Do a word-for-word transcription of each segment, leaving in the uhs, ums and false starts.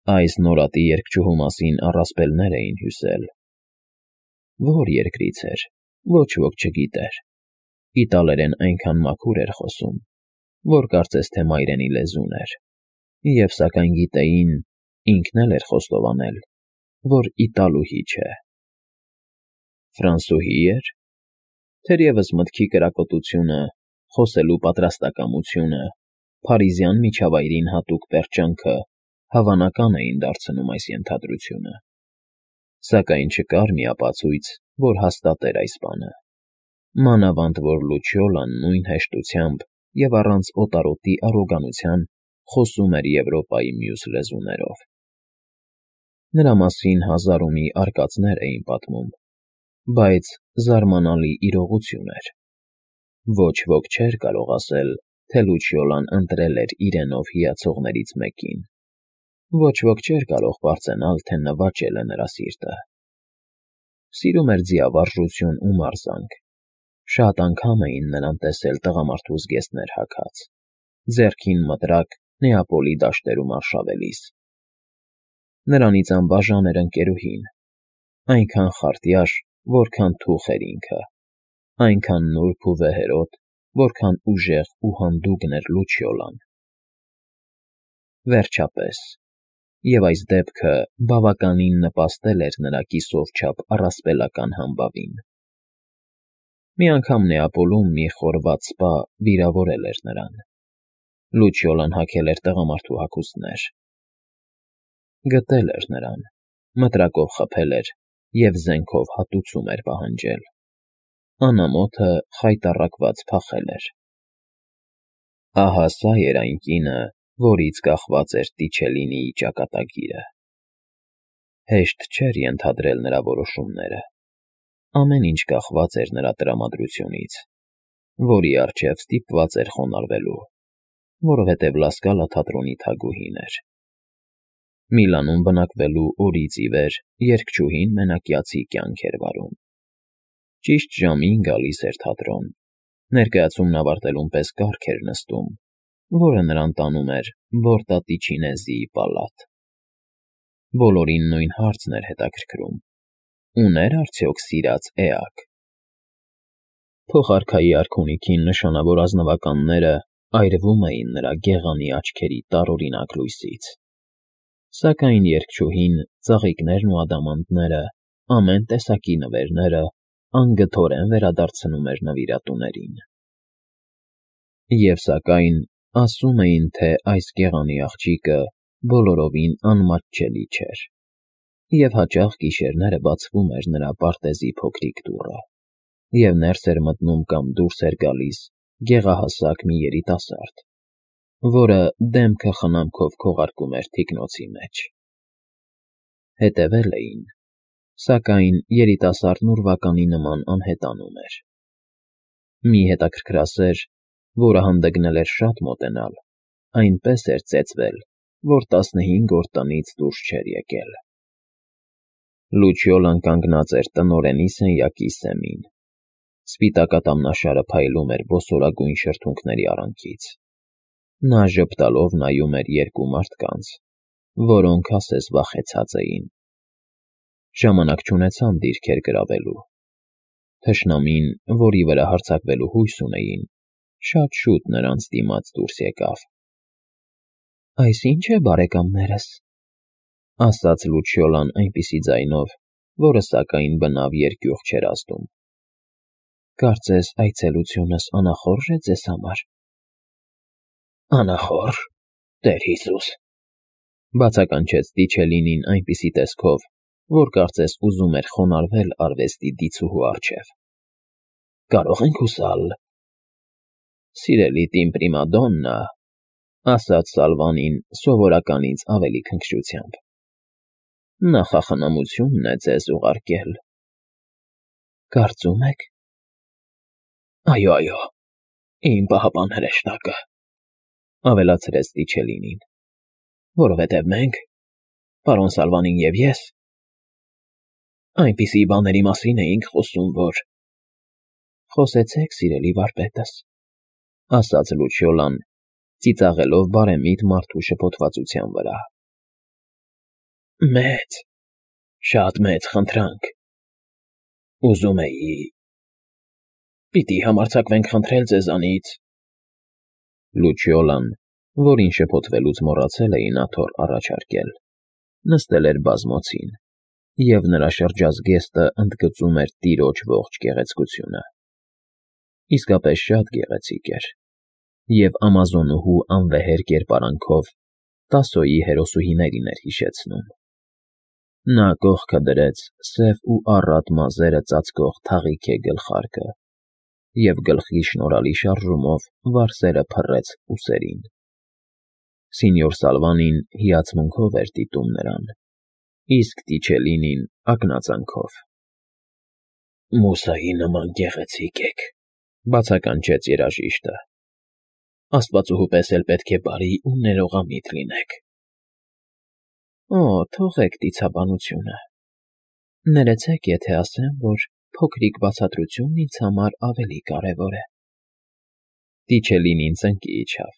Այս նորատի երգչուհու մասին առասպելներ էին հյուսել. որ երկրից էր, ոչ ոք չգիտեր, իտալերեն այնքան մաքուր էր խոսում, որ կարծես թե մայրենի լեզուն էր, և սակայն գիտեին, ինքն էլ էր խոստովանել, որ իտալուհի չէ։ Ֆրանսուհի էր, թերևս մտքի կրակոտությունը, խոսելու պատրաստակամությունը, փարիզյան միջավայրին հատուկ պերճանքը հավանական էին դարձնում այս ենթադրությունը, սակայն չկար մի ապացույց, որ հաստատեր այս բանը, մանավանդ որ Լուչիոլան նույն հեշտությամբ և առանց օտարոտի առոգանության խոսում էր Եվրոպայի մյուս լեզուներով։ Նրա մասին հազար ու մի արկածներ էին պատմում, բայց զարմանալի իրողություն էր. ոչ ոք չէր կարող ասել, թե Լուչիոլան ընտրել էր իրենով հիացողներից մեկին, ոչ ոք չէր կարող պարծենալ, թե նվաճել է նրա սիրտը։ Սիրում էր ձիավարժություն ու մարզանք, շատ անգամ էին նրան տեսել տղամարդու զգեստներ հագած, ձեռքին մտրակ Նեապոլի դաշտերում արշավելիս։ Նրանից անբաժան էր ընկերուհին, այնքան խարտյաշ, որքան թուխ էր ինքը, այնքան նուրբ ու վեհերոտ, որքան ուժեղ ու հանդուգն էր Լուչիոլան։ Վերջապես, և այս դեպքը բավականին նպաստել էր նրա կիսով չափ առասպելական համբավին։ Մի անգամ Նեապոլում մի խորված սպա վիրավորել էր նրան։ Լուչիոլան հագել էր տղամարդու հագուստներ։ Գտել էր նրան, մտրակով խփել էր և զենքով հատուցում էր պահանջել։ Անամոթը խայտառակված փախել էր։ Ահա սա էր այն կինը, որից կախված էր Տիչելինիի ճակատագիրը։ Հեշտ չէր ենթադրել նրա որոշումները։ Ամեն ինչ կախված էր նրա տրամադրությունից, որի առջև ստիպված էր խոնարհվելու, որովհետև Լասկալա թատրոնի թագուհին էր։ Միլանում բնակվելու օրից ի վեր երգչուհին մենակյացի կյանք էր վարում։ Ճիշտ ժամին գալիս էր թատրոն, ներկայացումն ավարտելուն պես կառք էր նստում, որը նրան տանում էր Բորտատիչինեզիի պալատ։ Բոլորին նույն հարցն էր հետաքրքրում. ուներ արդյոք սիրած էակ։ Փոխարքայի արքունիքին նշանավոր ազնվականները այրվում էին նրա գեղանի աչքերի տարօրինակ լույսից, սակայն երգչուհին, ծաղիկներն ու ադամանդները, ամեն տեսակի նվերները անգթորեն վերադարձնում էր նվիրատուներին։ Եվ սակայն ասում էին, թե այս գեղանի աղջիկը բոլորովին անմատչելի չէր, և հաճախ գիշերները բացվում էր նրա պարտեզի փոքրիկ դուռը, և ներս էր մտնում կամ դուրս էր գալիս գեղահասակ մի երիտասարդ, որը դեմքը խնամքով քողարկում էր թիկնոցի մեջ։ Հետևել էին, սակայն երիտասարդն ուրվականի նման անհետանում էր։ Մի հետաքրքրասեր, որը հանդգնել էր շատ մոտենալ, այնպես էր ծեծվել, որ տասնհինգ օր տնից դուրս չէր եկել։ Լուչիոլան կանգնած էր տնօրենի սենյակի սեմին։ Սպիտակ ատամնաշարը փայլում էր ոսորագույն շրթունքների արանքից։ Նա ժպտալով նայում էր երկու մարդկանց, որոնք ասես վախեցած էին։ Ժամանակ չունեցան դիրքեր գրավելու։ Թշնամին, որի վրա հարձակվելու հույս ունեին, շատ շուտ նրանց դիմաց դուրս եկավ։ ֊ Այս ի՞նչ է, բարեկամներս,֊ ասաց Լուչիոլան այնպիսի ձայնով, որը սակայն բնավ երկյուղ չէր ազդում։ ֊ Կարծես այցելությունս անախորժ է ձեզ համար։ ֊ Անախորժ, Տեր Հիսուս,֊ բացականչեց Տիչելինին այնպիսի տեսքով, որ կարծես ուզում էր խոնարհվել արվեստի դիցուհու առջև։ ֊ Կարո՞ղ ենք հուսալ։ ֊ Սիրելի տիմպրիմադոննա,֊ ասաց Սալվանին սովորականից ավելի քնքշությամբ,֊ նախախնամությունն է ձեզ ուղարկել։ ֊ Կարծում եք։ ֊ Այո, այո, իմ պահապան հրեշտակը,֊ ավելացրեց Տիչելինին,֊ որովհետև մենք, պարոն Սալվանին և ես, այնպիսի բաների մասին էինք խոսում, որ… ֊ Խոսեցեք, սիրելի վարպետս,֊ ասաց Լուչիոլան, ծիծաղելով բարեմիտ մարդու շփոթվածության վրա։ Մեծ, շատ մեծ խնդրանք, ուզում էի… Պիտի համարձակվենք խնդրել ձեզանից… Լուչիոլան, որին շփոթվելուց մոռացել էին աթոռ առաջարկել, նստել էր բազմոցին, և նրա շրջազգեստը ընդգծում էր տիրոջ ողջ գեղեցկությունը. իսկապես շատ գեղեցիկ էր և ամազոնուհու անվեհեր կերպարանքով Տասոյի հերոսուհիներին էր հիշեցնում. նա կողքը դրեց սև ու առատ մազերը ծածկող թաղիքե գլխարկը և գլխի շնորհալի շարժումով վարսերը փռեց ուսերին. Սենյոր Սալվանին հիացմունքով էր դիտում նրան, իսկ Տիչելինին ակնածանքով։ ֊ Մուսայի նման գեղեցիկ եք,֊ բացականչեց երաժիշտը,֊ աստվածուհու պես էլ պետք է բարի ու ներողամիտ լինեք։ ֊ Օ, թողեք դիցաբանությունը… Ներեցեք, եթե ասեմ, որ փոքրիկ բացատրությունն ինձ համար ավելի կարևոր է… Տիչելինին ծնկի իջավ.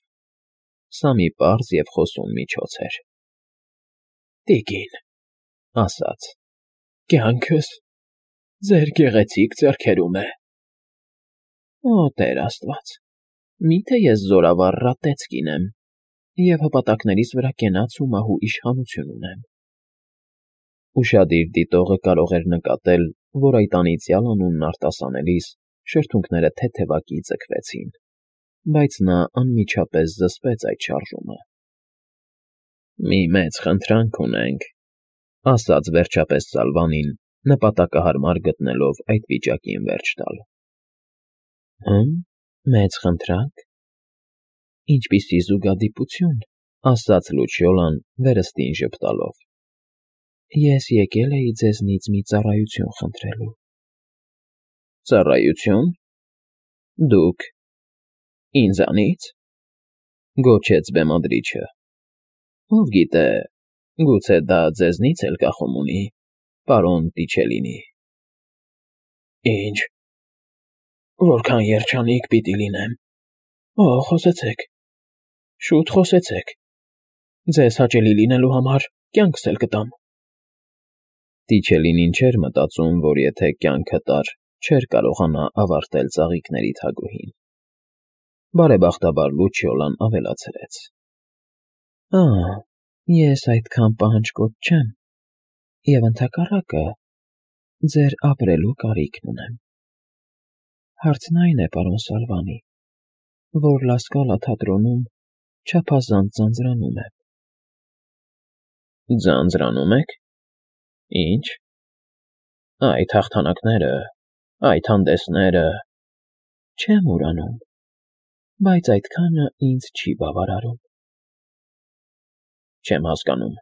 սա մի պարզ և խոսուն միջոց էր։ ֊ Տիկին,֊ ասաց,֊ կյանքս ձեր գեղեցիկ ձեռքերում է… Օ, Տեր աստված, մի՞թե ես զորավառ ռատեց կին եմ և հպատակներիս վրա կենաց ու մահու իշխանություն ունեմ… Ուշադիր դիտողը կարող էր նկատել, որ այդ անիծյալ անունն արտասանելիս շրթունքները թեթևակի ձգվեցին, բայց նա անմիջապես զսպեց այդ շարժումը։ ֊ Մի մեծ խնդրանք ունենք,֊ ասաց վերջապես Սալվանին, նպատակահարմար գտնելով այդ վիճակին վերջ տալ։ ֊ Հը՞մ, մեծ խնդրա՞նք… Ինչպիսի զուգադիպություն,֊ ասաց Լուչիոլան վերստին ժպտալով։ ֊ Ես եկել էի ձեզնից մի ծառայություն խնդրելու։ ֊ Ծառայությո՞ւն… Դուք… ինձանի՞ց,֊ գոչեց բեմադրիչը։ ֊ Ով գիտե, գուցե դա ձեզնից էլ կախում ունի, պարոն Տիչելինի… ֊ Ի՞նչ… Որքան երջանիկ պիտի լինեմ… Օ, խոսեցեք… Շուտ խոսեցեք… Ձեզ հաճելի լինելու համար կյանքս էլ կտամ… Տիչելինին չէր մտածում, որ եթե կյանքը տար, չէր կարողանա ավարտել ծաղիկների թագուհին… Բարեբախտաբար Լուչիոլան ավելացրեց. ֊ Ա՜, ես այդքան պահանջկոտ չեմ և, ընդհակառակը, ձեր ապրելու կարիքն ունեմ… Հարցն այն է, պարոն Սալվանի, որ Լա Սկալա թատրոնում չափազանց ձանձրանում եմ… ֊ Ձանձրանում եք… Ի՞նչ… Այդ հաղթանակները… Այդ հանդեսները… Չեմ ուրանում, բայց այդքանը ինձ չի բավարարում… Չեմ հասկանում,֊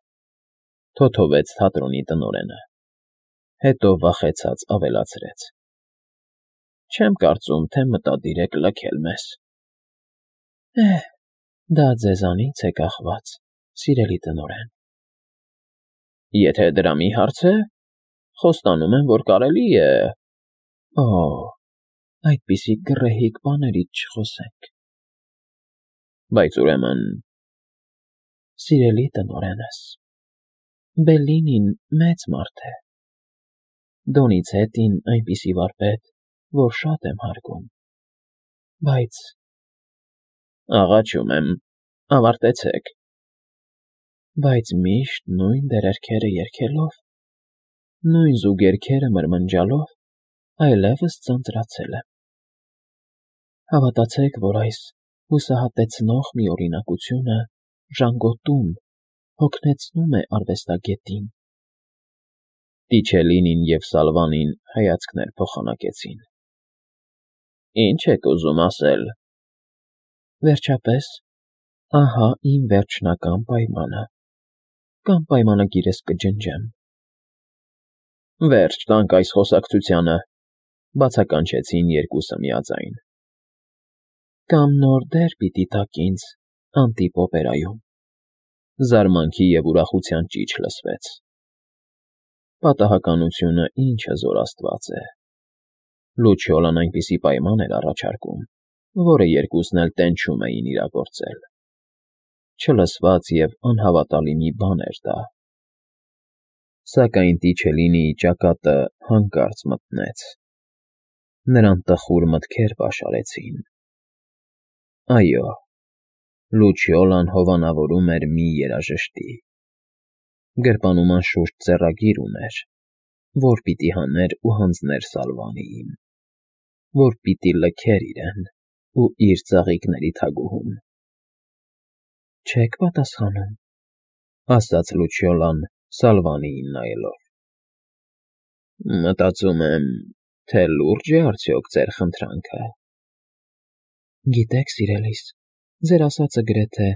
թոթովեց թատրոնի տնօրենը, հետո վախեցած ավելացրեց. Չեմ կարծում, թե մտադիր եք լքել մեզ… ֊ Է՛հ, դա ձեզանից է կախված, սիրելի տնօրեն… ֊ Եթե դրա մի հարց է, խոստանում եմ, որ կարելի է… Օ՜, այդպիսի գռեհիկ բաներից չխոսենք… ֊ Բայց ուրեմն… Սիրելի տնօրենս, Բելլինին մեծ մարդ է… Դոնիցետին այնպիսի վարպետ, որ շատ եմ հարգում… Բայց… Աղաչում եմ, ավարտեցեք… Բայց միշտ նույն դերերքերը երգելով, նույն զուգերգերը մրմնջալով այլևս ձանձրացել եմ… Հավատացեք, որ այս հուսահատեցնող միօրինակությունը ժանգոտում, հոգնեցնում է արվեստագետին… Տիչելինին և Սալվանին հայացքներ փոխանակեցին։ ֊ Ի՞նչ եք ուզում ասել… ֊ Վերջապես, ահա իմ վերջնական պայմանը, կամ պայմանագիրս կջնջեմ… ֊ Վերջ տանք այս խոսակցությանը,֊ բացականչեցին երկուսը միաձայն։ ֊ Կամ նոր դեր պիտի տաք ինձ Անտիպ օպերայում… Զարմանքի և ուրախության ճիչ լսվեց։ Պատահականությունը ինչ հզոր աստված է… Լուչիոլան այնպիսի պայման էր առաջարկում, որը երկուսն էլ տենչում էին իրագործել… Չլսված և անհավատալի մի բան էր դա… Սակայն Տիչելինիի ճակատը հանկարծ մթնեց. նրան տխուր մտքեր պաշարեցին։ Այո, Լուչիոլան հովանավորում էր մի երաժշտի։ Գրպանում անշուշտ ձեռագիր ուներ, որ պիտի հաներ ու հանձներ Սալվանիին, որ պիտի լքեր իրեն ու իր ծաղիկների թագուհուն։ Չե՞ք պատասխանում, ասաց Լուչիոլան Սալվանիին նայելով։ Մտածում եմ, թե լուրջ է արդյոք ձեր խնդրանքը։ Գիտեք, սիրելիս, ձեր ասածը գրեթե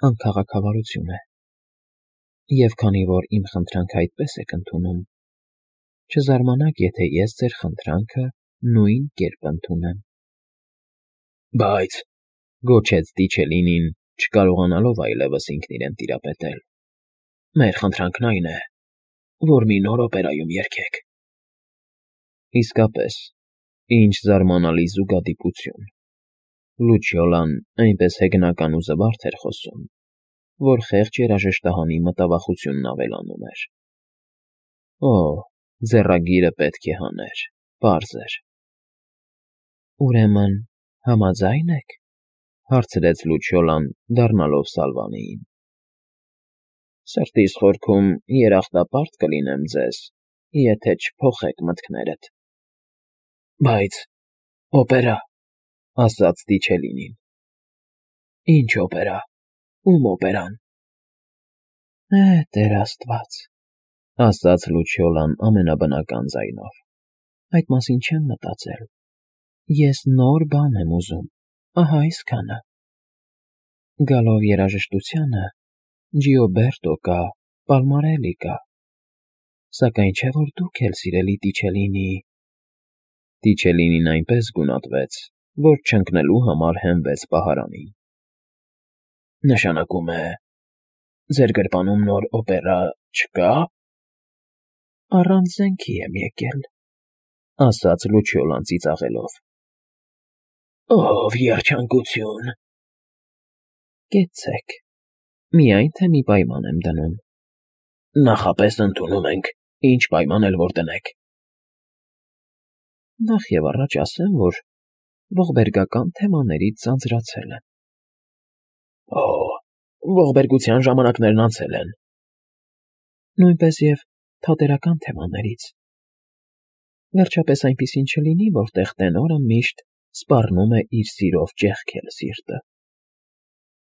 անքաղաքավարություն է։ Եվ քանի որ իմ խնդրանքը այդպես եք ընդունում, չզարմանաք, եթե ես ձեր խնդրանքը նույն կերպ ընդունեմ։ Բայց, գոչեց Տիչելինին, չկարողանալով այլևս ինքն իրեն տիրապետել, մեր խնդրանքն այն է, որ մի նոր օպերայում երգեք։ Իսկապես, ինչ զարմանալի զուգադիպություն։ Լուչիոլան այնպես հեգնական ու զվարթ էր խոսում, որ խեղճ երաժշտահանի մտավախությունն ավելանում էր։ Օ, ձեռագիրը պետք է հաներ, պարզ էր։ Ուրեմն համաձա՞յն եք, հարցրեց Լուչիոլան, դառնալով Սալվանիին։ Սրտիս խորքում երախտապարտ կլինեմ ձեզ, եթե չփոխեք մտքներդ։ Բայց օպերա, ասաց Տիչելինին։ Ինչ օպերա, ում օպերան։ Է, Տեր Աստված, ասաց Լուչիոլան ամենաբնական ձայնով։ Այդ մասին չեմ մտածել։ Ես նոր բան եմ ուզում, ահա այսքանը։ Գալով երաժշտությանը, Ջիոբերտո կա, Պալմարելի կա։ Սակայն չէ որ դուք էլ, սիրելի Տիչելինի… Տիչելինին այնպես գունատվեց, որ չընկնելու համար հենվեց պահարանին։ Նշանակում է, ձեր գրպանում նոր օպերա չկա։ Առանց զենքի եմ եկել, ասաց Լուչիոլան ծիծաղելով։ Ով երջանկություն։ Կեցցեք, միայն թե մի պայման եմ դնում։ Նախապես ընդունում ենք, ինչ պայման էլ որ դնեք։ Նախ և առաջ ասեմ, որ ողբերգական թեմաներից ձանձրացել եմ։ Օ, ողբերգության ժամանակներն անցել են։ Նույնպես և թատերական թեմաներից։ Վերջապես այնպիսին չլինի, որտեղ տենորը միշտ սպառնում է իր սիրով ճեղքել սիրտը։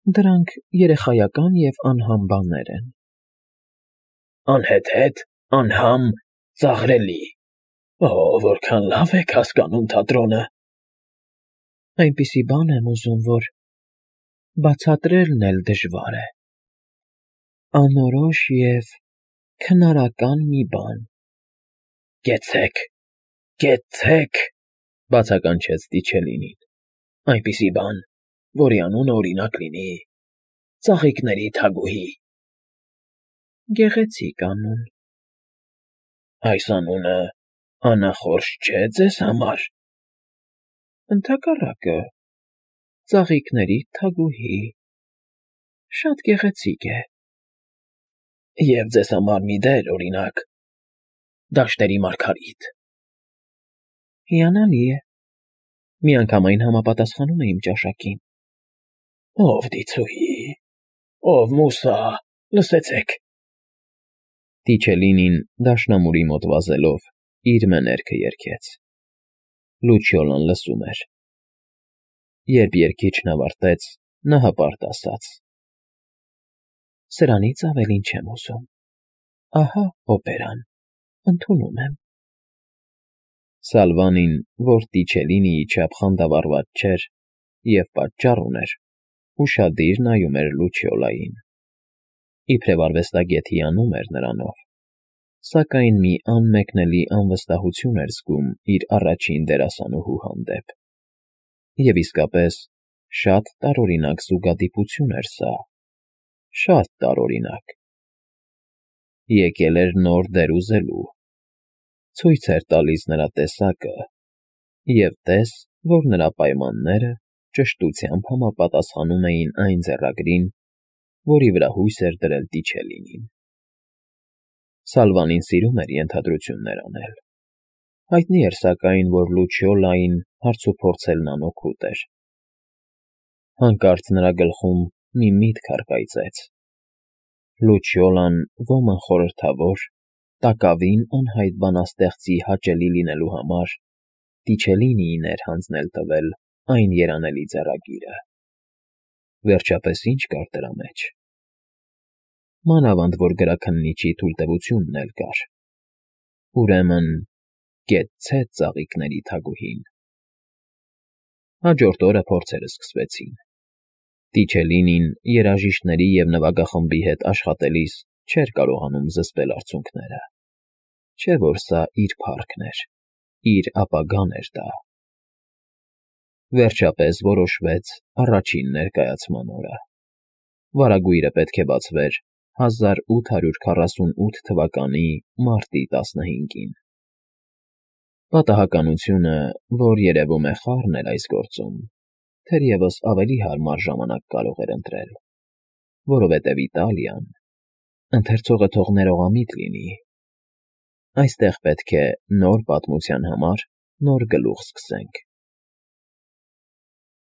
Դրանք երեխայական և անհամ բաներ են։ Անհեթեթ, անհամ, ծաղրելի… Օ, որքան լավ եք հասկանում թատրոնը։ Այնպիսի բան եմ ուզում, որ բացատրելն էլ դժվար է։ Անորոշ և քնարական մի բան։ Կեցցեք, կեցցեք, բացականչեց Տիչելինին։ Այնպիսի բան, որի անունը օրինակ լինի… Ծաղիկների թագուհի։ Գեղեցիկ անուն։ Այս անունը անախորժ չէ՞ ձեզ համար։ Ընդհակառակը, ծաղիկների թագուհի… Շատ գեղեցիկ է։ Եվ ձեզ համար մի դեր, օրինակ, դաշտերի մարգարիտ… Հիանալի է։ Միանգամայն համապատասխանում է իմ ճաշակին։ Ով դիցուհի… Ով մուսա… Լսեցեք… Տիչելինին դաշնամուրի մոտ վազելով իր մեներքը երգեց։ Լուչիոլան լսում էր։ Երբ երգիչն ավարտեց, նա հպարտ ասաց. Սրանից ավելին չեմ ուզում։ Ահա օպերան, ընդունում եմ։ Սալվանին, որ Տիչելինիի չափ խանդավառված չէր և պատճառ ուներ, ուշադիր նայում էր Լուչիոլային։ Իբրև արվեստագետ հիանում էր նրանով, սակայն մի անմեկնելի անվստահություն էր զգում իր առաջին դերասանուհու հանդեպ։ Եվ իսկապես, շատ տարօրինակ զուգադիպություն էր սա, շատ տարօրինակ։ Եկել էր նոր դեր ուզելու, ցույց էր տալիս նրա տեսակը, և տես, որ նրա պայմանները ճշտությամբ համապատասխանում էին այն ձեռագրին, որի վրա հույս էր դրել Տիչելինին։ Սալվանին սիրում էր ենթադրություններ անել։ Հայտնի էր, սակայն, որ Լուչիոլային հարցուփորձելն անօգուտ էր։ Հանկարծ նրա գլխում մի միտք առկայծեց. Լուչիոլան ոմն խորհրդավոր, տակավին անհայտ բանաստեղծի հաճելի լինելու համար Տիչելինիին էր հանձնել տվել այն երանելի ձեռագիրը։ Վերջապես ի՞նչ կար դրա մեջ։ Մանավանդ որ գրաքննիչի թույլտվությունն էլ կար։ Ուրեմն, կեցցե ծաղիկների թագուհին։ Հաջորդ օրը փորձերը սկսվեցին։ Տիչելինին երաժիշտների և նվագախմբի հետ աշխատելիս չէր կարողանում զսպել արցունքները։ Չէ՞ որ սա իր փառքն էր, իր ապագան էր դա։ Վերջապես որոշվեց առաջին ներկայացման օրը։ Վարագույրը պետք է բացվեր հազար ութ հարյուր քառասունութ թվականի մարտի տասնհինգին։ Պատահականությունը, որ երևում է խառն էր այս գործում, թերևս ավելի հարմար ժամանակ կարող էր ընտրել, որովհետև Իտալիան… Ընթերցողը թող ներողամիտ լինի… Այստեղ պետք է նոր պատմության համար նոր գլուխ սկսենք։